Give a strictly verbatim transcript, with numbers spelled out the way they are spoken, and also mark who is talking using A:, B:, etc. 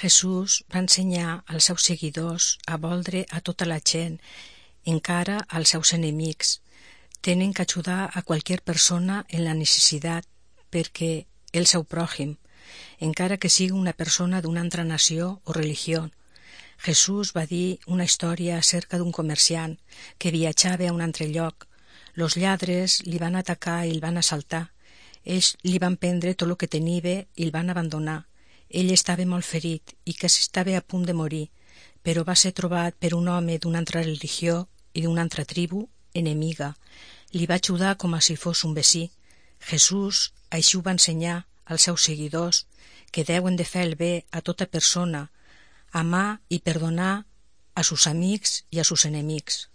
A: Jesús va ensenyar als seus seguidors a voldre a tota la gent, encara als seus enemics. Tenen que ajudar a qualsevol persona en la necessitat, perquè el seu pròjim, encara que sigui una persona d'una altra nació o religió. Jesús va dir una història acerca d'un comerciant que viatjava a un altre lloc. Los lladres li van atacar i el van assaltar. Ells li van prendre tot el que tenia i el van abandonar. Ell estava molt ferit i quasi estava a punt de morir, però va ser trobat per un home d'una altra religió i d'una altra tribu enemiga. Li va ajudar com si fos un vecí. Jesús així ho va ensenyar als seus seguidors, que deuen de fer el bé a tota persona, amar i perdonar a sus amics i a sus enemics.